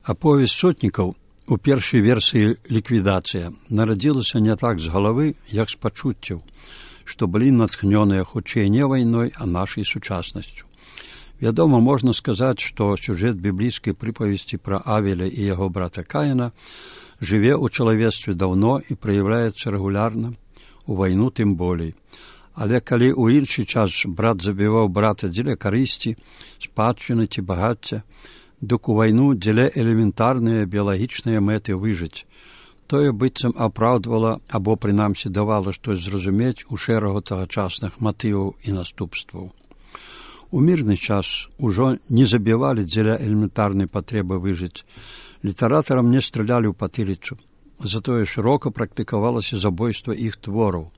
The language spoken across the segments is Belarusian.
Аповесць сотнікаў у першай версіі ліквідацыя нарадзілася не так з галавы, як з пачуццяў, што былі натхнёныя хутчэй не вайной, а нашай сучаснасцю. Вядома, можна сказаць, што сюжэт біблійскай прыпавесці пра Авеля і яго брата Каіна жыве ў чалавецтве даўно і праяўляецца рэгулярна, у вайну тым болей. Але калі ў іншы час брат забіваў брата дзеля карысці, спадчыны ці багацця, дык у вайну дзеля элементарныя біялагічныя мэты выжыць. Тое быццам апраўдвала або, прынамсі, давала штось зразумець у шэрагу тагачасных матываў і наступстваў. У мірны час ужо не забівалі дзеля элементарнай патрэбы выжыць. Літаратарам не стралялі ў патыліцу. Затое шырока практыкавалася забойства іх твораў.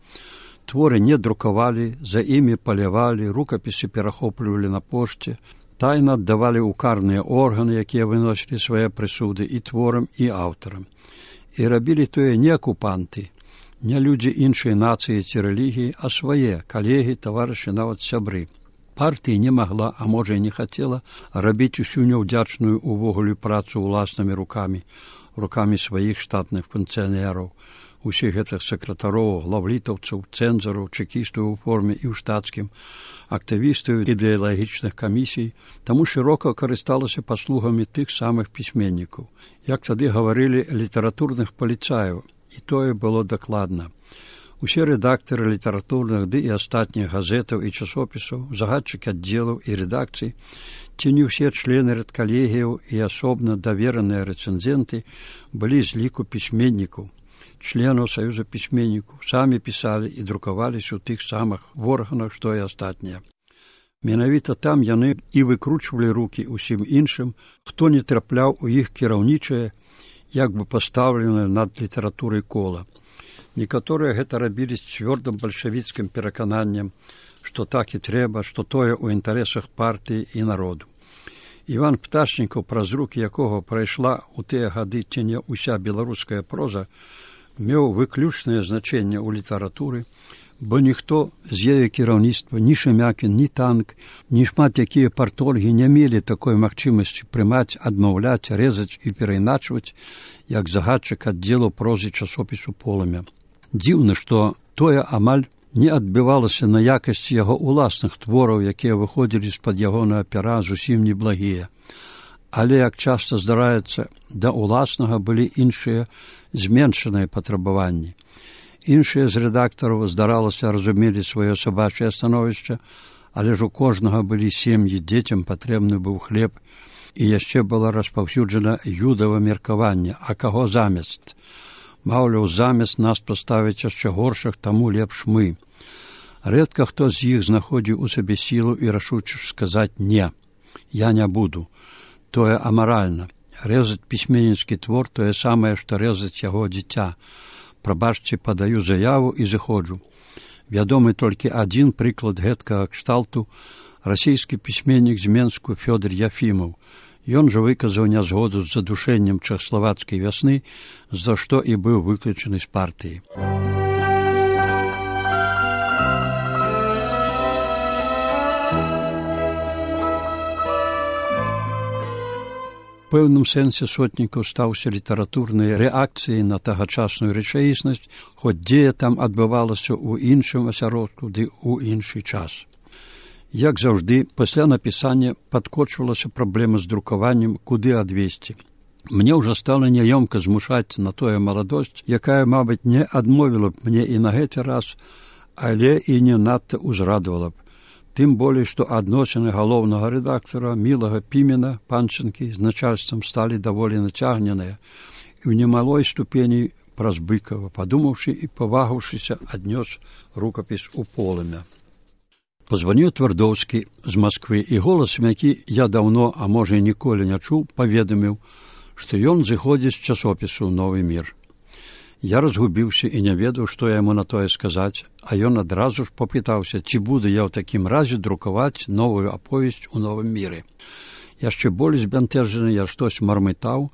Творы не друкавалі, за імі палявалі, рукапісы перахоплівалі на пошце, тайна аддавалі ў карныя органы, якія выносілі свае прысуды і творам, і аўтарам. І рабілі тое не акупанты, не людзі іншай нацыі ці рэлігіі, а свае калегі, таварышы, нават сябры. Партыя не магла, а можа і не хацела, рабіць усю няўдзячную увогуле працу ўласнымі рукамі сваіх штатных функцыянераў, усіх гэтых сакратароў, главлітаўцаў, цэнзараў, чэкістаў у форме і ў штатскім, актывістаў ідэалагічных камісій, таму шырока карысталася паслугамі тых самых пісьменнікаў. Як тады гаварылі, літаратурных паліцаяў, і тое было дакладна. Усе рэдактары літаратурных ды і астатніх газетаў і часопісаў, загадчыкі аддзелаў і рэдакцый, ці не ўсе члены рэдкалегіяў і асобна давераныя рэцэнзенты былі з ліку пісьменнікаў, членаў Саюза пісьменнікаў, самі пісалі і друкаваліся ў тых самых органах, што і астатнія. Менавіта там яны і выкручвалі рукі ўсім іншым, хто не трапляў у іх кіраўнічае, як бы пастаўленае над літаратурай кола. Некаторыя гэта рабілі з цвёрдым бальшавіцкім перакананнем, што так і трэба, што тое ў інтарэсах партыі і народу. Іван Пташнікаў, праз рукі якога прайшла ў тыя гады ці не ўся беларуская проза, меў выключнае значэнне ў літаратуры, бо ніхто з яе кіраўніцтва, ні Шемякін, ні Танк, ні шмат якія партольгі не мелі такой магчымасці прымаць, адмаўляць, рэзаць і перайначваць, як загадчык аддзелу прозы часопісу «Полымя». Дзіўна, што тое амаль не адбівалася на якасці яго ўласных твораў, якія выходзілі з-пад ягонага пера зусім неблагія. Але, як часта здараецца, да ўласнага былі іншыя зменшаныя патрабаванні. Іншыя з рэдактараў, здаралася, разумелі сваё сабачае становішча, але ж у кожнага былі сем'і, дзецям патрэбны быў хлеб, і яшчэ было распаўсюджана юдава меркаванне, а каго замест? Маўляў, замест нас паставіць яшчэ горшых, таму лепш мы. Рэдка хто з іх знаходзіў у сабе сілу і рашучасць сказаць «не, я не буду». Тое амаральна. Рэзаць пісьменніцкі твор тое самае, што рэзаць яго дзіця. Прабачце, падаю заяву і зыходжу. Вядомы толькі адзін прыклад гэткага кшталту – расійскі пісьменнік з Менску Фёдор Яфімаў. Ён жа выказаў нязгоду з задушэннем чэхаславацкай вясны, за што і быў выключаны з партыі. У пэўным сэнсе Сотнікаў стаўся літаратурнай рэакцыяй на тагачасную рэчаіснасць, хоць дзея там адбывалася ў іншым асяродку ды ў іншы час. Як заўжды, пасля напісання падкочвалася праблема з друкаваннем, куды адвесці. Мне ўжо стала няёмка змушаць на тое маладосць, якая, мабыць, не адмовіла б мне і на гэты раз, але і не надта ўзрадавала б. Тым болей, што адносіны галоўнага рэдактара Мілага Пімена, Панчынкі, з начальствам сталі даволі нацягненыя і ў немалой ступені праз Быкава, падумаўшы і павагаўшыся, аднёс рукапіс у «Полымя». Позваніў Твардоўскі з Масквы, і голасам, які я даўно, а можа і ніколі не чуў, паведаміў, што ён зыходзіць з часопісу «Новы мір». Я разгубіўся і не ведаў, што яму на тое сказаць, а ён адразу ж попытаўся, ці буду я ў такім разе друкаваць новую аповесць у «Новым міры». Яшчэ болей збянтэжаны я штось мармытаў,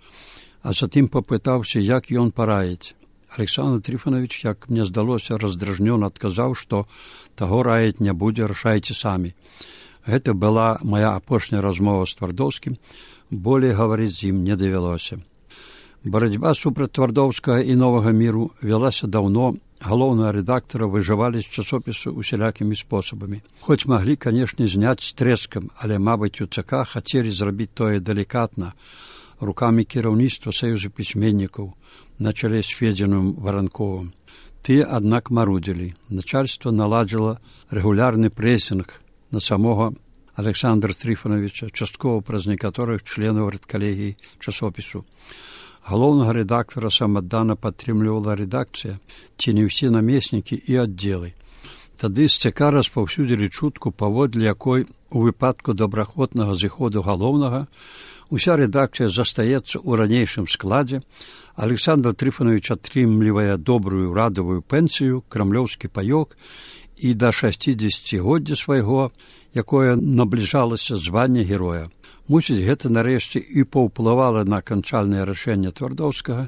а затым попытаўся, як ён параіць. Александр Трифонович, як мне здалося, раздражнёна адказаў, што таго раіць не будзе, рашайце самі. Гэта была моя апошняя размова з Твардоўскім. Болей гаварыць з ім не давялося. Барацьба супраць Твардоўскага і новага міру вялася даўно. Галоўнага рэдактара выжывалі з часопісу усялякімі спосабамі. Хоць маглі, канешне, зняць з трэскам, але, мабыць, у ЦК хацелі зрабіць тое далікатна, рукамі кіраўніцтва саюза пісьменнікаў на чале з Федзіным Варанковым. Тыя, аднак, марудзілі. Начальства наладзіла рэгулярны прэсінг на самога Александра Трыфановича, часткова праз некаторых членаў рэдкалегіі часопісу. Галоўнага рэдактара самаддана падтрымлівала рэдакцыя, ці не ўсе намеснікі і аддзелы. Тады з ЦК распаўсюдзілі чутку, паводле якой у выпадку добраахвотнага зыходу галоўнага уся рэдакцыя застаецца ў ранейшым складзе, Александр Трыфанович атрымлівае добрую радавую пенсію, крамлёўскі паёк і да 60годдзя свайго, якое набліжалася звання героя. Мусіць, гэта нарэшце і паўплывала на канчальнае рашэнне Твардоўскага,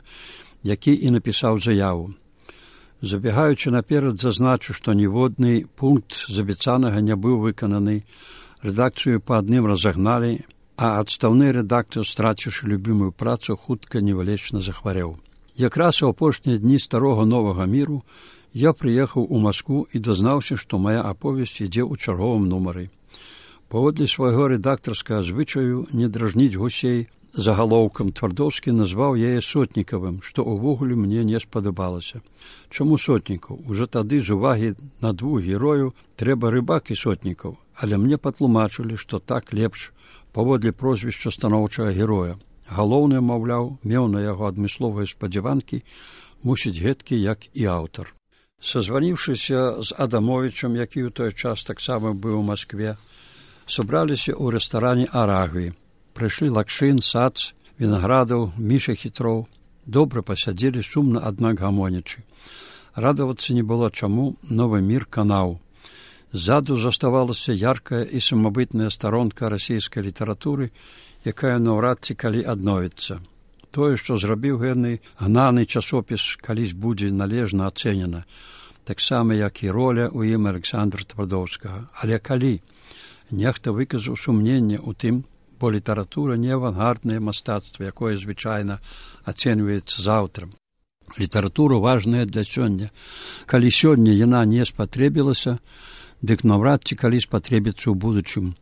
які і напісаў заяву. Забегаючы наперад, зазначу, што ніводны пункт з абяцанага не быў выкананы, рэдакцыю па адным разагналі, а адстаўны рэдактар, страціўшы любімую працу, хутка невылечна захварэў. Якраз у апошнія дні старога новага міру я прыехаў у Маскву і дазнаўся, што мая аповесць ідзе ў чарговым нумары. Паводле свайго рэдактарскага звычаю не дражніць гусей загалоўкам, Твардоўскі назваў яе Сотнікавым, што ўвогуле мне не спадабалася. Чаму Сотнікаў? Ужо тады з увагі на двух герою трэба Рыбак і Сотнікаў, але мне патлумачылі, што так лепш паводле прозвішча станоўчага героя. Галоўны, маўляў, меў на яго адмысловыя спадзяванкі, мусіць гэткі, як і аўтар. Сазваніўшыся з Адамовічам, які ў той час таксама быў у Маскве, сабраліся ў рэстаране «Арагві». Прыйшлі Лакшын, Сац, Вінаградаў, Міша Хітроў. Добра пасядзелі, сумна, аднак гамонячы. Радавацца не было чаму, новы мір канаў. Ззаду заставалася яркая і самабытная старонка расійскай літаратуры, якая наўрад ці калі адновіцца. Тое, што зрабіў гэны гнаны часопіс, калісь будзе належна ацэнена, таксама, як і роля ў ім Александра Твардоўскага. Але калі? Нехта выказаў сумненне ў тым, бо літаратура не авангарднае мастацтва, якое звычайна ацэньваецца заўтра. Літаратура важная для сёння. Калі сёння яна не спатрэбілася, дык наўрад ці калі спатрэбіцца ў будучым.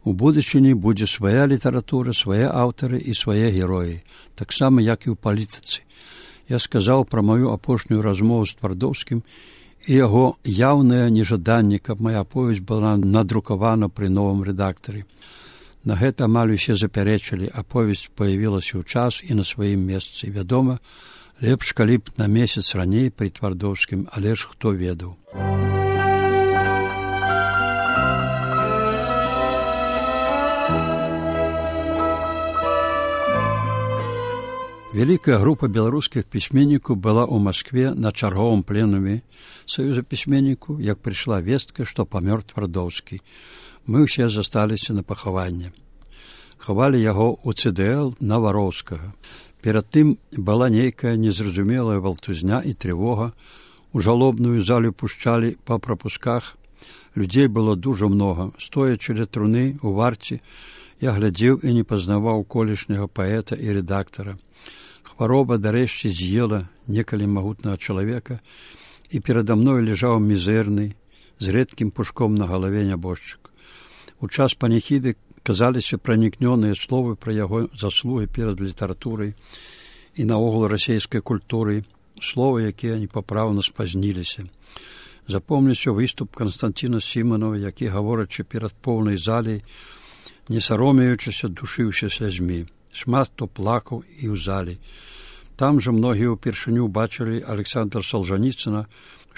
У будучыні будзе свая літаратура, свае аўтары і свае героі, таксама, як і ў палітыцы. Я сказаў пра маю апошнюю размову з Твардоўскім і яго яўнае нежаданне, каб мая аповесць была надрукавана пры новым рэдактары. На гэта амаль усе запярэчылі, аповесць паявілася ў час і на сваім месцы. Вядома, лепш, калі б на месяц раней пры Твардоўскім, але ж хто ведаў. Вялікая група беларускіх пісьменнікаў была ў Маскве на чарговым пленуме саюза пісьменнікаў, як прыйшла вестка, што памёр Твардоўскі. Мы ўсе засталіся на пахаванне. Хавалі яго ў ЦДЛ на Вароўскага. Перад тым была нейкая незразумелая валтузня і трывога. У жалобную залю пушчалі па прапусках. Людзей было дужа многа. Стоячы ля труны у варце, я глядзеў і не пазнаваў колішняга паэта і рэдактара. Хвароба дарэшце з'ела некалі магутнага чалавека, і перада мной ляжаў мізэрны, з рэдкім пушком на галаве нябожчык. У час паніхіды казаліся пранікнёныя словы пра яго заслугі перад літаратурай і наогул расійскай культурай, словы, якія непапраўна спазніліся. Запомніўся выступ Канстанціна Сіманова, які, гаворачы перад поўнай залей, не саромеючыся, душыўся слязьмі. Шмат хто плакаў і ў залі. Там жа многія ўпершыню бачылі Александра Солжаніцына,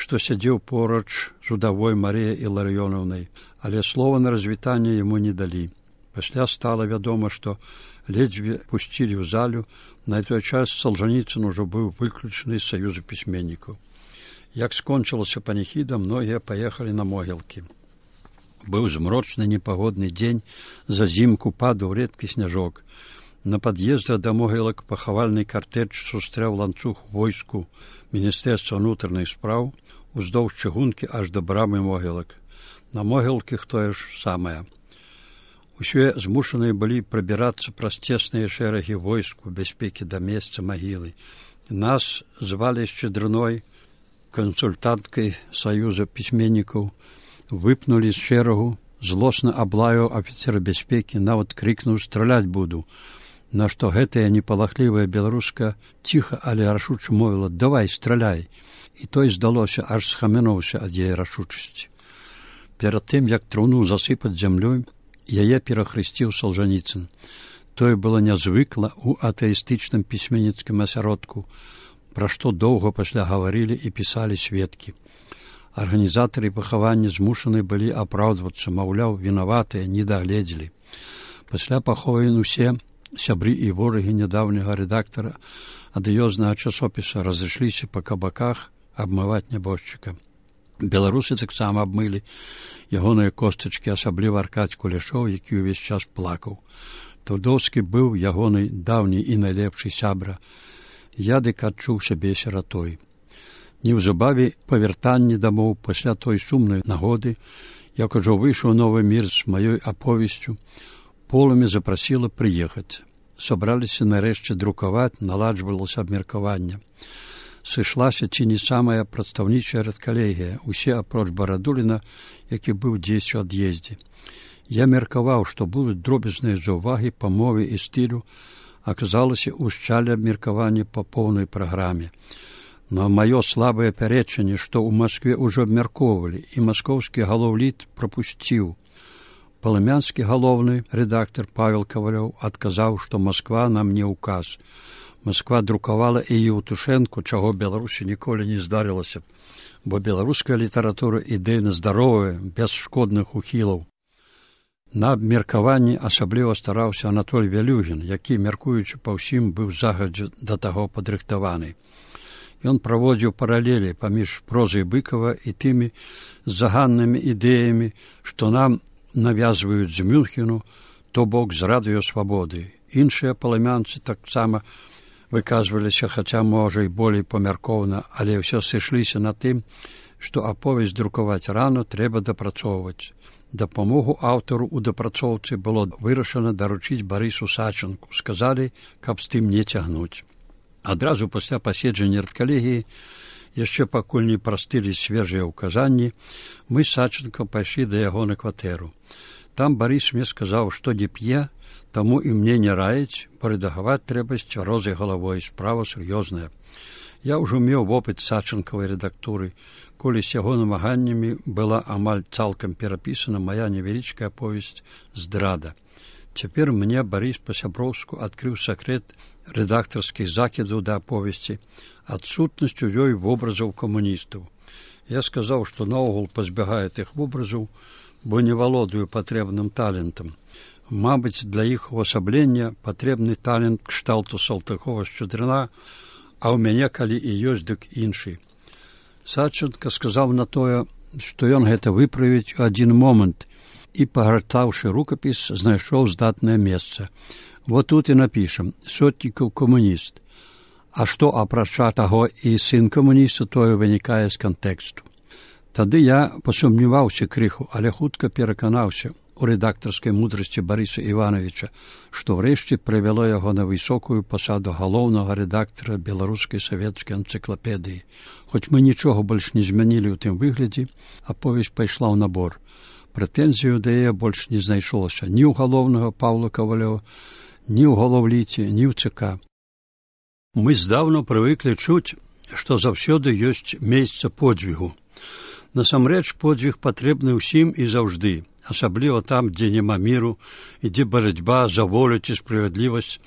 што сядзеў поруч з удавой Марыяй Іларыёнаўнай, але слова на развітанне яму не далі. Пасля стала вядома, што ледзьве пусцілі ў залю, на той час Солжаніцын ужо быў выключаны з саюза пісьменнікаў. Як скончылася паніхіда, многія паехалі на могілкі. Быў змрочны непагодны дзень, зазімку падаў рэдкі сняжок. На пад'ездзе да могілак пахавальны картэж сустрэў ланцуг войску Міністэрства ўнутраных спраў уздоўж чыгункі аж да брамы могілак. На могілках тое ж самае. Усе змушаныя былі прабірацца праз цесныя шэрагі войск у бяспекі да месца магілы. Нас звалі Шчедрыной, кансультанткай Саюза пісьменнікаў, выпнулі з шэрагу, злосна аблаяў афіцера бяспекі, нават крыкнуў «Страляць буду», на што гэтая непалахлівая беларуска ціха, але рашуча мовіла «Давай, страляй». І той, здалося, аж схамянуўся ад яе рашучасці. Перад тым, як труну засыпаць зямлёй, яе перахрысціў Салжаніцын. Тое было нязвыкла ў атэістычным пісьменніцкім асяродку, пра што доўга пасля гаварылі і пісалі сведкі. Арганізатары пахавання змушаны былі апраўдвацца, маўляў, вінаватыя, не дагледзелі. Пасля пахован усе сябры і ворагі нядаўняга рэдактара адыёзнага часопіса разышліся па кабаках абмываць нябожчыка. Беларусы таксама абмылі ягоныя костачкі, асабліва Аркадзь Кулешоў, які ўвесь час плакаў. Твардоўскі быў ягоны даўні і найлепшы сябра. Я дык адчуў сябе сіратой. Неўзабаве па вяртанні дамоў пасля той сумнай нагоды, як ужо выйшаў новы мір з маёй аповесцю, полымя запрасіла прыехаць. Сабраліся нарэшце друкаваць, наладжвалася абмеркаванне. Сышлася ці не самая прадстаўнічая рэдкалегія, усе апроч Барадуліна, які быў дзесь у ад'ездзе. Я меркаваў, што будуць дробязныя заўвагі па мове і стылю, аказалася ўшчалі абмеркаванне па поўнай праграме. На маё слабае пярэчанне, што ў Маскве ўжо абмяркоўвалі, і маскоўскі галоўліт прапусціў. Палымянскі галоўны рэдактар Павел Кавалёў адказаў, што Масква нам не ўказ. Масква друкавала і Еўтушэнку, чаго Беларусі ніколі не здарылася, бо беларуская літаратура ідэйна здаровая, без шкодных ухілаў. На абмеркаванні асабліва стараўся Анатоль Вялюгін, які, мяркуючы па ўсім, быў загадзя да таго падрыхтаваны. Ён праводзіў паралелі паміж прозай Быкава і тымі заганнымі ідэямі, што нам навязваюць з Мюнхену, то бок з радыёсвабоды. Іншыя палымянцы таксама выказваліся, хаця, можа, і болей памяркоўна, але ўсё сышліся на тым, што аповесць друкаваць рана трэба дапрацоўваць. Дапамогу аўтару ў дапрацоўцы было вырашана даручыць Барысу Сачынку. Сказалі, каб з тым не цягнуць. Адразу пасля паседжання рэдкалегіі, яшчэ пакуль не прастылі свежыя ўказанні, мы з Сачынкам пайшлі да яго на кватэру. Там Барыс мне сказаў, што не п'е, таму і мне не раіць, бо рэдагаваць трэба з цвярозай галавой, справа сур'ёзная. Я ўжо меў вопыт Сачынкавай рэдактуры, колі з яго намаганнямі была амаль цалкам перапісана мая невялічкая аповесць «Здрада». Цяпер мне Барыс па-сяброўску адкрыў сакрэт рэдактарскіх закідаў да аповесці, адсутнасць у ёй вобразаў камуністаў. Я сказаў, што наогул пазбягаю тых вобразаў, бо не валодаю патрэбным талентам. Мабыць, для іх увасаблення патрэбны талент кшталту Салтыкова-Шчедрына, а ў мяне, калі і ёсць, дык іншы. Сачынка сказаў на тое, што ён гэта выправіць у адзін момант і, пагартаўшы рукапіс, знайшоў здатнае месца. Вот тут і напішам «Сотнікаў камуніст». А што, апрача таго і сын камуніста, тое вынікае з кантэксту. Тады я пасумняваўся крыху, але хутка пераканаўся у рэдактарскай мудрасці Барыса Івановича, што ўрэшце прывяло яго на высокую пасаду галоўнага рэдактара беларускай савецкай энцыклапедыі. Хоць мы нічога больш не змянілі ў тым выглядзе, аповесць пайшла ў набор. Прэтэнзію да яе больш не знайшлося ні ў галоўнага Паўла Кавалёва, ні ў галоўліце, ні ў ЦК. Мы здаўна прывыклі чуць, што заўсёды ёсць месца подзвігу. Насамрэч, подзвіг патрэбны ўсім і заўжды, асабліва там, дзе няма міру, ідзе барацьба за волю ці справядлівасць,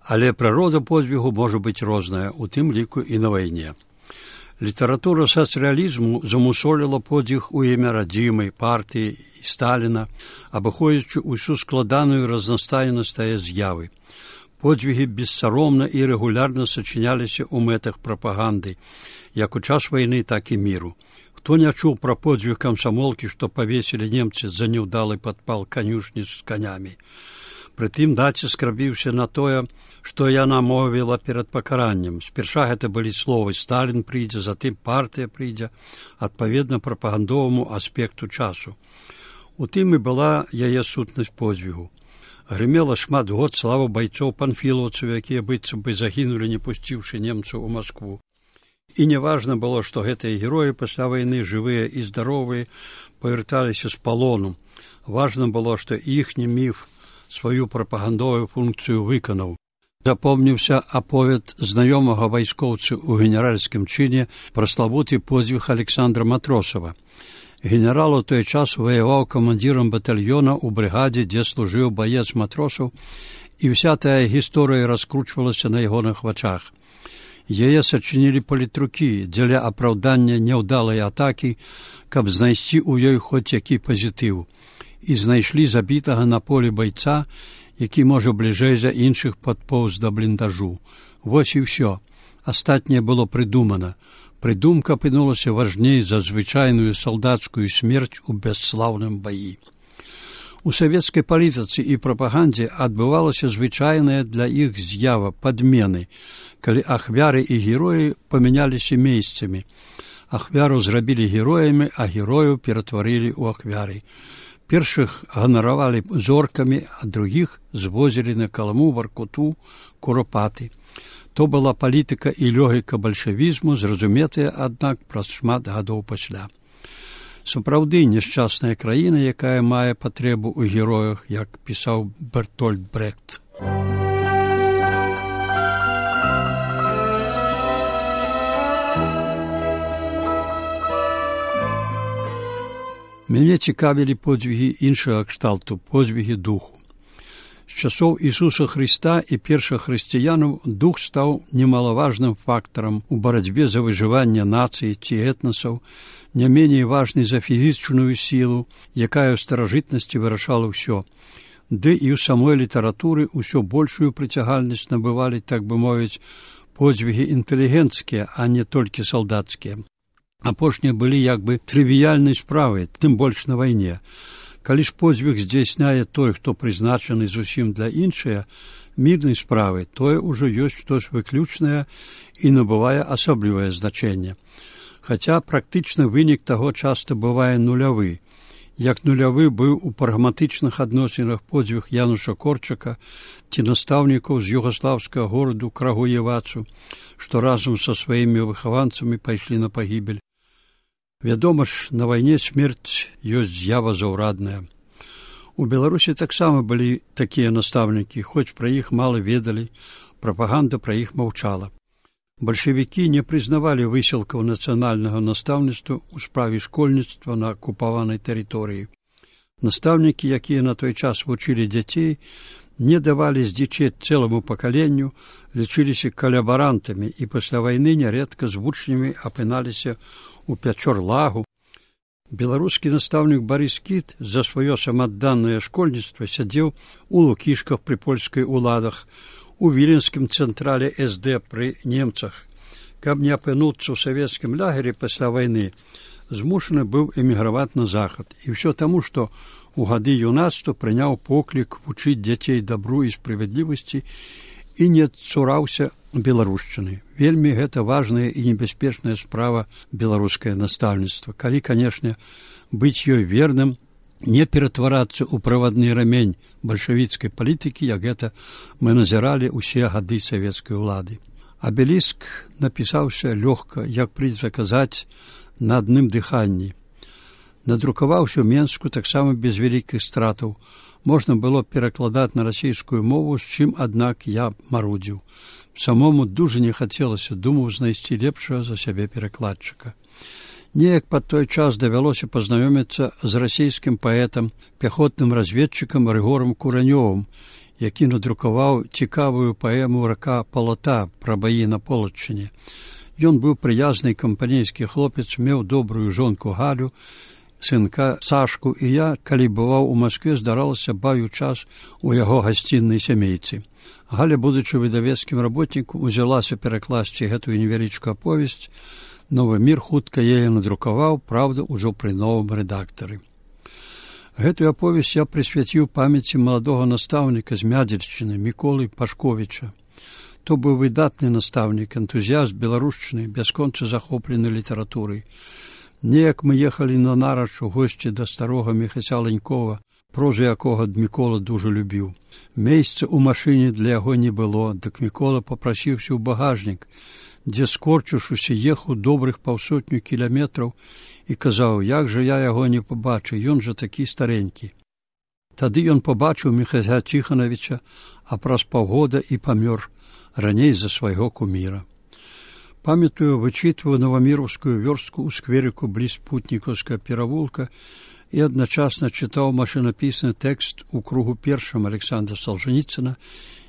але прырода подзвігу можа быць розная, у тым ліку і на вайне. Літаратура сацыялізму замусоліла подзвіг у імя радзімай, партыі і Сталіна, абыходзячы ўсю складаную разнастайнасць тае з'явы. Подзвігі бессаромна і рэгулярна сачыняліся ў мэтах прапаганды, як у час вайны, так і міру. Хто не чуў пра подзвіг камсамолкі, што павесілі немцы за няўдалы падпал канюшні з канямі. Прытым націск рабіўся на тое, што яна мовіла перад пакараннем. Спярша гэта былі словы «Сталін прыйдзе», затым «партыя прыйдзе», адпаведна прапагандоваму аспекту часу. У тым і была яе сутнасць подзвігу. Грымела шмат год слава байцоў панфілаўцаў, якія быццам бы загінулі, не пусціўшы немцаў у Маскву. І неважна было, што гэтыя героі пасля вайны, жывыя і здаровыя, павярталіся з палону. Важна было, што іхні міф сваю прапагандовую функцыю выканаў. Запомніўся аповед знаёмага вайскоўцы ў генеральскім чыне пра славуты подзвіг Александра Матросава. Генерал у той час ваяваў камандзірам батальёна ў брыгадзе, дзе служыў баец Матросаў, і ўся тая гісторыя раскручвалася на ягоных вачах. Яе сачынілі палітрукі дзеля апраўдання няўдалай атакі, каб знайсці ў ёй хоць які пазітыў. І знайшлі забітага на полі байца, які, можа, бліжэй за іншых падпоўз да бліндажу. Вось і ўсё. Астатняе было прыдумана. Прыдумка апынулася важней за звычайную салдацкую смерць у бясслаўным баі. У савецкай палітыцы і прапагандзе адбывалася звычайная для іх з'ява падмены, калі ахвяры і героі памяняліся месцамі. Ахвяру зрабілі героямі, а герояў ператварылі ў ахвяры. Першых ганаравалі зоркамі, а другіх звозілі на Каламу, Воркуту, Куропаты. То была палітыка і логіка бальшавізму, зразуметая, аднак, праз шмат гадоў пасля. Сапраўды няшчасная краіна, якая мае патрэбу ў героях, як пісаў Бертольд Брехт. Мяне цікавілі подзвігі іншага кшталту, подзвігі духу. З часоў Ісуса Хрыста і першых хрысціянаў дух стаў немалаважным фактарам у барацьбе за выжыванне нацыі ці этнасаў, не меней важнай за фізічную сілу, якая ў старажытнасці вырашала ўсё. Ды і ў самой літаратуры ўсё большую прыцягальнасць набывалі, так бы мовіць, подзвігі інтэлігенцкія, а не толькі салдацкія. Апошнія былі як бы трывіяльнай справай, тым больш на вайне. Калі ж подзвіг здзяйсняе той, хто прызначаны зусім для іншыя, мірнай справы, тое ўжо ёсць штось выключнае і набывае асаблівае значэнне. Хаця практычны вынік таго часта бывае нулявы. Як нулявы быў у прагматычных адносінах подзвіг Януша Корчака ці настаўнікаў з югаслаўскага гораду Крагуевацу, што разам са сваімі выхаванцамі пайшлі на пагібель. Вядома ж, на вайне смерць ёсць з'ява заўрадная. У Беларусі таксама былі такія настаўнікі, хоць пра іх мала ведалі, прапаганда пра іх маўчала. Бальшавікі не прызнавалі высілкаў нацыянальнага настаўніцтва ў справе школьніцтва на акупаванай тэрыторыі. Настаўнікі, якія на той час вучылі дзяцей, не давалі здзічець цэламу пакаленню, лічыліся калябарантамі і пасля вайны нярэдка з вучнямі апыналіся у Пячор-Лагу. Беларускі настаўнік Барыс Кіт за сваё самаадданае школьніцтва сядзеў у Лукішках пры польскай уладах, у віленскім цэнтрале СД пры немцах. Каб не апынуцца ў савецкім лагеры пасля вайны, змушаны быў эміграваць на захад. І ўсё таму, што у гады юнацтва прыняў поклік вучыць дзяцей дабру і справядлівасці і не цураўся беларушчыны. Вельмі гэта важная і небяспечная справа беларускае настаўніцтва. Калі, канешне, быць ёй верным, не ператварацца ў правадны рамень бальшавіцкай палітыкі, як гэта мы назіралі ўсе гады савецкай улады. Абеліск напісаўся лёгка, як прыйдзецца казаць, на адным дыханні. Надрукаваўся ў Менску таксама без вялікіх стратаў. Можна было перакладаць на расійскую мову, з чым, аднак, я марудзіў. Самому дужа не хацелася, думаў знайсці лепшага за сябе перакладчыка. Неяк пад той час давялося пазнаёміцца з расійскім паэтам, пяхотным разведчыкам Рыгорам Куранёвым, які надрукаваў цікавую паэму «Рака Палата» пра баі на Полаччыне. Ён быў прыязны кампанейскі хлопец, меў добрую жонку Галю, сынка Сашку, і я, калі бываў у Маскве, здаралася баю час у яго гасціннай сямейцы. Галя, будучы выдавецкім работнікам, узялася перакласці гэтую невялічкую аповесць. Новы мір хутка яе надрукаваў, праўда, ужо пры новым рэдактары. Гэтую аповесць я прысвяціў памяці маладога настаўніка з Мядзельшчыны Міколы Пашковіча. То быў выдатны настаўнік, энтузіяст беларушчыны, бясконца захоплены літаратурай. Неяк ми ехали на нарач у гості до старого Михася Ленькова, прозу якого Микола дуже любив. Місця у машині для його не було, так Микола попросився у багажник, де, скорчившись, їхав добрих 500 кілометрів і казав, як же я його не побачу, він же такий старенький. Тоді він побачив Михайла Тихоновича, а праз півгода і помер, раней за свого кумира. Памятую, вычитываю Новомировскую верстку у скверику близ Путниковского переулка и одночасно читал машинописный текст у кругу першым Александра Солженіцына,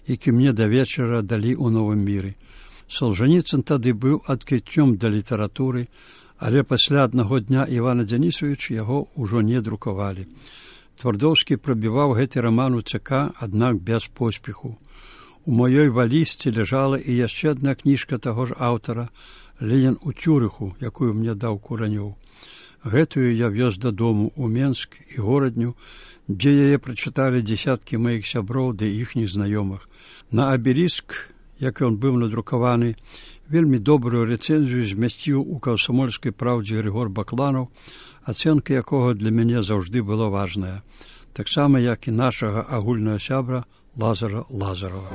які мне до вечера дали у Новом мире. Солженіцын тады быў адкрыццём для літаратуры, але пасля аднаго дня Івана Дзянісавіча яго ўжо не друкавалі. Твардоўскі прабіваў гэты раман у ЦК, аднак без поспеху. У маёй валізцы ляжала і яшчэ адна кніжка таго ж аўтара «Ленін у Цюрыху», якую мне даў Куранёў. Гэтую я вёз дадому у Менск і горадню, дзе яе прачыталі дзесяткі маіх сяброў ды іхніх знаёмых. На абеліск, як ён быў надрукаваны, вельмі добрую рэцэнзію змясціў у «Камсамольскай праўдзе» Григор Бакланаў, ацэнка якога для мяне заўжды была важная, таксама як і нашага агульнага сябра Лазара Лазарова.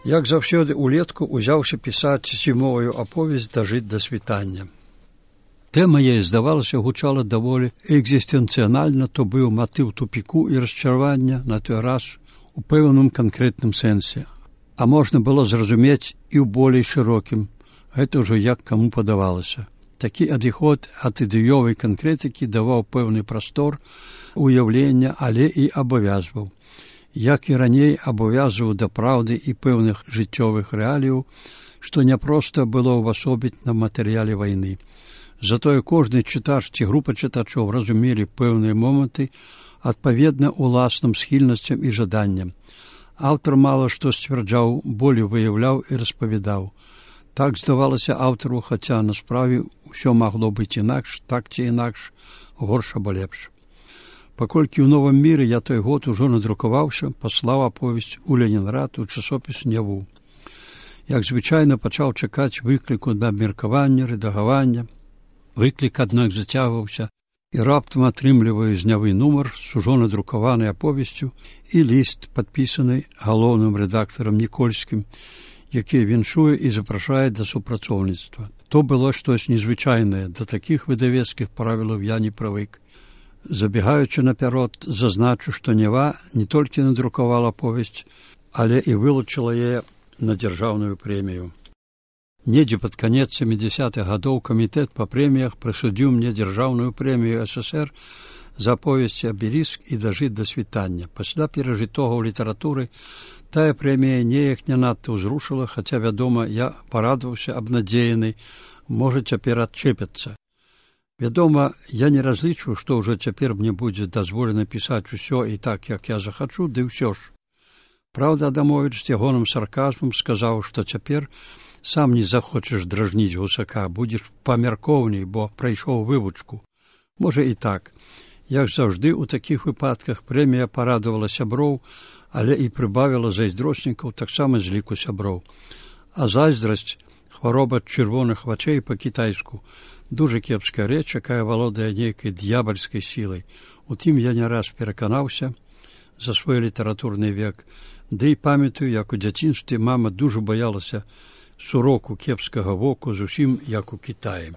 Як заўсёды улетку узяўся пісаць зімовую аповесць «Дажыць да світання». Тэма яе, здавалася, гучала даволі экзістэнцыянальна, то быў матыў тупіку і расчаравання на той раз у пэўным канкрэтным сэнсе. А можна было зразумець і ў болей шырокім. Гэта ўжо як каму падавалася. Такі адыход ад ідэёвай канкрэтыкі даваў пэўны прастор уяўлення, але і абавязваў. Як і раней абавязваў да праўды і пэўных жыццёвых рэаліяў, што няпроста было ўвасобіць на матэрыяле вайны. Затое кожны чытач ці група чытачоў разумелі пэўныя моманты адпаведна уласным схільнасцям і жаданням. Аўтар мала што сцвярджаў, болей выяўляў і распавядаў. Так здавалася аўтару, хаця на справе ўсё магло быць інакш, так ці інакш, горш або лепш. Паколькі ў Новым міры я той год ужо надрукаваўся, паслаў аповесць у Ленінград у часопіс «Няву». Як звычайна пачаў чакаць выкліку на абмеркаванне, рэдагавання. Выклік, аднак, зацягваўся, і раптам атрымліваю з «Нявы» нумар з ужо надрукаванай аповесцю і ліст, падпісаны галоўным рэдактарам Нікольскім, які віншуе і запрашае да супрацоўніцтва. То было штось незвычайнае, да такіх выдавецкіх правілаў я не прывык. Забегаючы наперад, зазначу, што «Нева» не толькі надрукавала повесць, але і вылучыла яе на дзяржаўную прэмію. Недзе пад канец 70-х гадоў камітэт па прэміях прысудзіў мне дзяржаўную прэмію СССР за аповесці «Абеліск» і «Дажыць да світання». Пасля перажытога ў літаратуры тая прэмія неяк не надта ўзрушыла, хаця, вядома, я парадаваўся абнадзеяны, можа, цяпер адчэпяцца. Вядома, я не разлічваю, што ўжо цяпер мне будзе дазволена пісаць усё і так, як я захачу, ды ўсё ж. Праўда, Адамовіч з ягоным сарказмам сказаў, што цяпер сам не захочаш дражніць гусака, будзеш памяркоўней, бо прайшоў вывучку. Можа і так. Як заўжды, у такіх выпадках прэмія парадавала сяброў, але і прыбавіла зайздроснікаў таксама з ліку сяброў. А зайздрасць, хвароба чырвоных вачэй па-кітайску, дуже кепская рэч, якая валодае нейкай д'ябальскай сілай. Утым я не раз пераканаўся за свой літаратурны век, ды і памятаю, як у дзяцінстве мама дуже баялася суроку кепскага воку, зусім як у Кітаі.